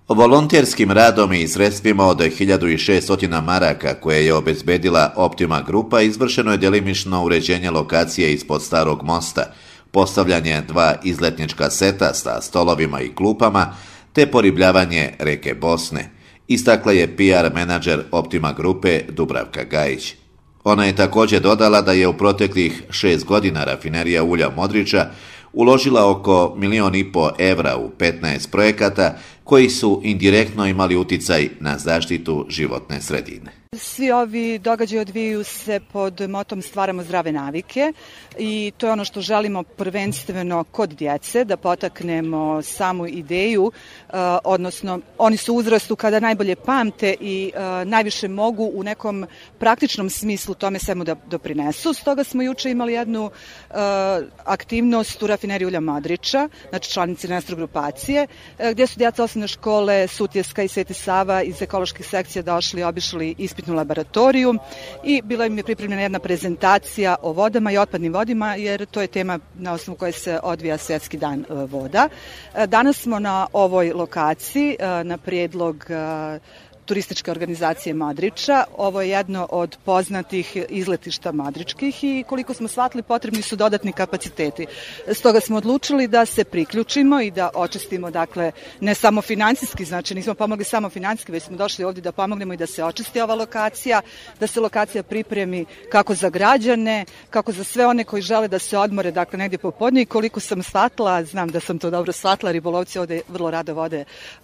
Volonterskim radom i sredstvima od 1600 maraka koje je obezbedila Optima grupa izvršeno je delimično uređenje lokacije ispod Starog mosta, postavljanje 2 izletnička seta sa stolovima i klupama te poribljavanje reke Bosne, istakla je PR menadžer Optima grupe Dubravka Gajić. Ona je također dodala da je u proteklih 6 godina rafinerija ulja Modriča uložila oko 1,5 miliona evra u 15 projekata koji su indirektno imali uticaj na zaštitu životne sredine. Svi ovi događaji odvijaju se pod motom stvaramo zdrave navike i to je ono što želimo prvenstveno kod djece, da potaknemo samu ideju, odnosno oni su u uzrastu kada najbolje pamte i najviše mogu u nekom praktičnom smislu tome svemu da doprinesu. Stoga smo juče imali jednu aktivnost u rafineriji ulja Modriča, znači članici Nestor grupacije, gdje su djeca osnovne škole Sutjeska i Sveti Sava iz ekoloških sekcija došli i obišli ispitnu laboratoriju i bila im je pripremljena jedna prezentacija o vodama i otpadnim vodima, jer to je tema na osnovu koje se odvija Svjetski dan voda. Danas smo na ovoj lokaciji na prijedlog turističke organizacije Modriča. Ovo je jedno od poznatih izletišta modričkih i koliko smo shvatili potrebni su dodatni kapaciteti. Stoga smo odlučili da se priključimo i da očistimo, dakle, ne samo financijski, znači nismo pomogli samo financijski, već smo došli ovdje da pomognemo i da se očisti ova lokacija, da se lokacija pripremi kako za građane, kako za sve one koji žele da se odmore, dakle, negdje popodne i koliko sam shvatila, znam da sam to dobro shvatila, ribolovci ovdje vrlo rado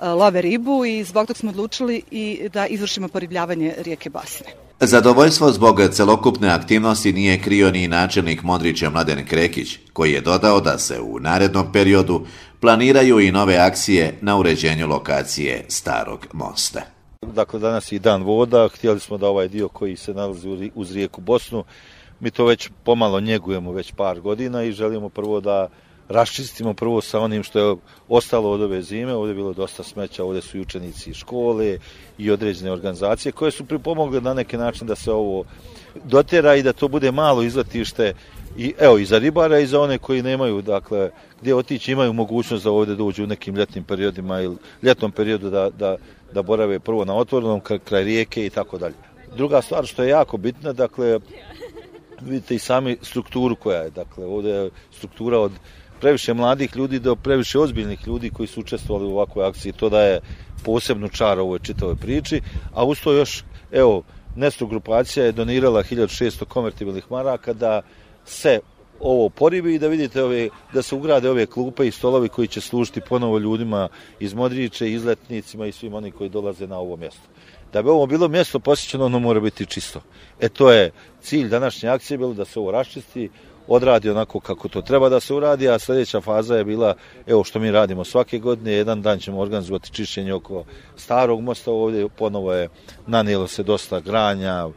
love ribu i zbog tog smo odlučili i da izvršimo poribljavanje rijeke Bosne. Zadovoljstvo zbog celokupne aktivnosti nije krio ni načelnik Modriča Mladen Krekić, koji je dodao da se u narednom periodu planiraju i nove akcije na uređenju lokacije Starog mosta. Dakle, danas je dan voda, htjeli smo da ovaj dio koji se nalazi uz rijeku Bosnu, mi to već pomalo njegujemo već par godina i želimo prvo da raščistimo prvo sa onim što je ostalo od ove zime. Ovdje je bilo dosta smeća, ovdje su i učenici škole i određene organizacije koje su pripomogle na neki način da se ovo dotjera i da to bude malo izletište i evo i za ribara i za one koji nemaju, dakle, gdje otići, imaju mogućnost da ovdje dođu u nekim ljetnim periodima ili ljetnom periodu da borave prvo na otvorenom kraj rijeke i tako dalje. Druga stvar što je jako bitna, dakle, vidite i sami strukturu koja je, dakle, ovdje je struktura od previše mladih ljudi do previše ozbiljnih ljudi koji su učestvovali u ovakvoj akciji. To daje posebnu čar ovoj čitavoj priči, a uz to još, evo, Nestor grupacija je donirala 1600 konvertibilnih maraka da se ovo poribi i da vidite da se ugrade ove klupe i stolovi koji će služiti ponovo ljudima iz Modriča, izletnicima i svim oni koji dolaze na ovo mjesto. Da bi ovo bilo mjesto posjećeno, ono mora biti čisto. To je cilj današnje akcije, bilo da se ovo raščisti, odradi onako kako to treba da se uradi, a sljedeća faza je bila, evo što mi radimo svake godine, jedan dan ćemo organizovati čišćenje oko Starog mosta, ovdje ponovo je nanijelo se dosta granja,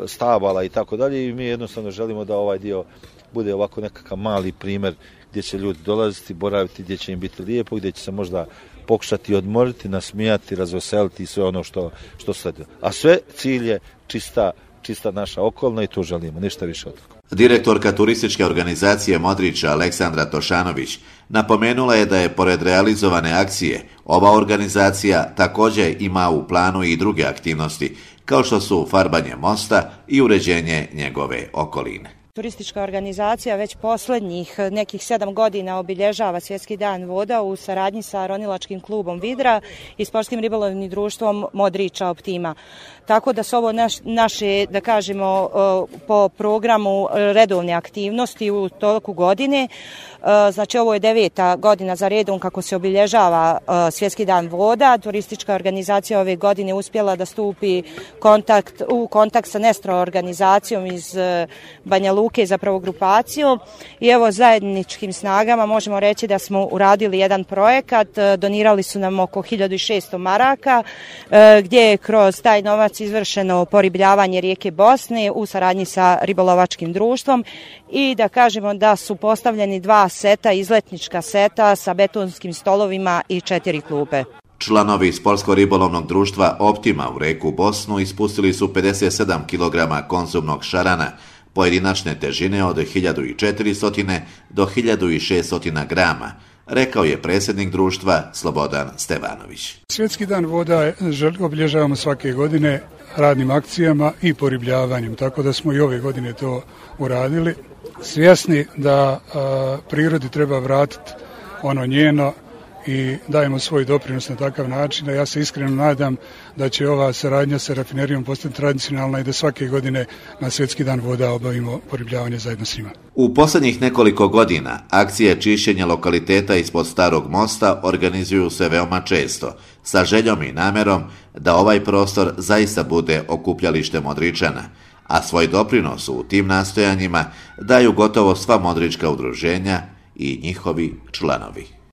stabala i tako dalje i mi jednostavno želimo da ovaj dio bude ovako nekakav mali primjer gdje će ljudi dolaziti, boraviti, gdje će im biti lijepo, gdje će se možda pokušati odmoriti, nasmijati, razveseliti i sve ono što sleduje. A sve cilj je čista naša okolna i to želimo, ništa više od toga. Direktorka turističke organizacije Modriča Aleksandra Tošanović napomenula je da je pored realizovane akcije ova organizacija također ima u planu i druge aktivnosti kao što su farbanje mosta i uređenje njegove okoline. Turistička organizacija već posljednjih nekih 7 godina obilježava Svjetski dan voda u saradnji sa ronilačkim klubom Vidra i sportskim ribolovnim društvom Modriča Optima. Tako da su ovo naše, da kažemo, po programu redovne aktivnosti u toku godine. Znači ovo je 9. godina za redom kako se obilježava Svjetski dan voda. Turistička organizacija ove godine uspjela da stupi u kontakt sa Nestor organizacijom iz Banja Luke, zapravo grupaciju. I evo zajedničkim snagama možemo reći da smo uradili jedan projekat. Donirali su nam oko 1600 maraka gdje je kroz taj novac izvršeno poribljavanje rijeke Bosne u saradnji sa ribolovačkim društvom i da kažemo da su postavljeni 2 seta, izletnička seta sa betonskim stolovima i 4 klupe. Članovi sportsko-ribolovnog društva Optima u reku Bosnu ispustili su 57 kg konzumnog šarana pojedinačne težine od 1400 do 1600 grama, rekao je predsjednik društva Slobodan Stevanović. Svjetski dan voda obilježavamo svake godine radnim akcijama i poribljavanjem, tako da smo i ove godine to uradili. Svjesni da prirodi treba vratiti ono njeno i dajemo svoj doprinos na takav način, a ja se iskreno nadam da će ova saradnja sa rafinerijom postati tradicionalna i da svake godine na Svjetski dan voda obavimo poribljavanje zajedno s njima. U posljednjih nekoliko godina akcije čišćenja lokaliteta ispod Starog mosta organizuju se veoma često, sa željom i namjerom da ovaj prostor zaista bude okupljalište Modričana, a svoj doprinos u tim nastojanjima daju gotovo sva modrička udruženja i njihovi članovi.